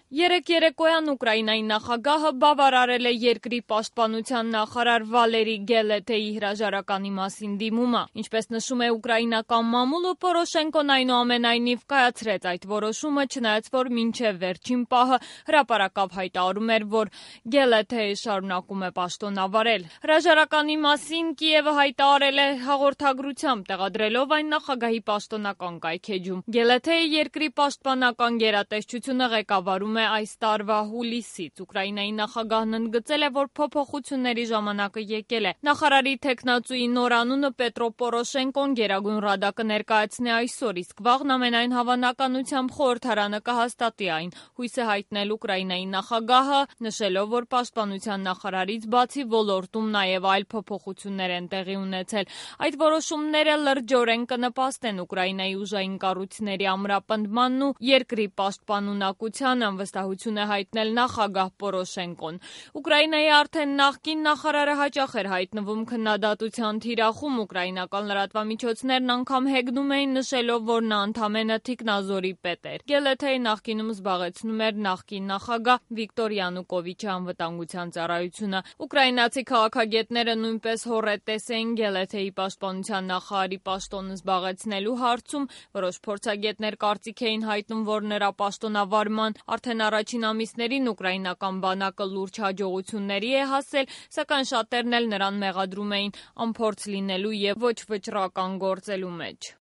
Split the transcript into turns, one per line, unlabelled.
Երեկ երեկոյան Ուկրաինայի նախագահը բավարարել է երկրի պաշտպանության նախարար Վալերի Գելեթեի հրաժարականի մասին դիմումը։ Ինչպես նշում է ուկրաինական մամուլը, Պորոշենկոն այնուամենայնիվ կայացրեց այդ որոշումը, չնայած որ մինչև վերջին պահը հրապարակավ հայտարարում էր, որ Գելեթեը շարունակում է պաշտոնավարել։ Հրաժարականի մասին Կիևը հայտարարել է հաղորդագրությամբ, տեղադրելով այն նախագահի պաշտոնական կայքէջում։ Գելեթեի երկրի պաշտպանական գերատեսչությունը ղեկավարում այս տարվա հուլիսից։ Ուկրաինայի նախագահն ընդգծել է, որ փոփոխությունների ժամանակը եկել է։ Նախարարի թեկնածուի նոր անունը Պետրո Պորոշենկոն Գերագույն ռադա կներկայացնի այսօր, իսկ վաղն ամենայն հավանականությամբ խորհրդարանը կհաստատի այն, հույս է հայտնել Ուկրաինայի նախագահը, նշելով, որ պաշտպանության նախարարից բացի ոլորտում նաև այլ փոփոխություններ են տեղի ունեցել։ Այդ որոշումները լրջորեն կնպաստեն Ուկրաինայի ուժային կառույցների ամրապնդմանն ու երկրի պաշտպանունակությանը, վստահություն է հայտնել նախագահ Պորոշենկոն։ Ուկրաինայի արդեն նախկին նախարարը հաճախ էր հայտնվում քննադատության թիրախում, ուկրաինական լրատվամիջոցներն անգամ հեգնում էին, նշելով, որ նա ընդամենը թիկնազորի պետ էր։ Գելեթեի նախկինում զբաղեցնում էր նախկին նախագահ Վիկտոր Յանուկովիչի անվտանգության ծառայությունը։ Ուկրաինացի քաղաքագետները նույնպես հոռետես էին Գելեթեի պաշտպանության նախարարի պաշտոնը զբաղեցնելու հարցում։ Որոշ փորձագետներ կարծիք էին հայտնում, որ նրա պաշտոնավարման արդեն առաջին ամիսներին ուկրաինական բանակը լուրջ հաջողությունների է հասել, սակայն շատերն էլ նրան մեղադրում էին անփորձ լինելու և ոչ վճռական գործելու մեջ։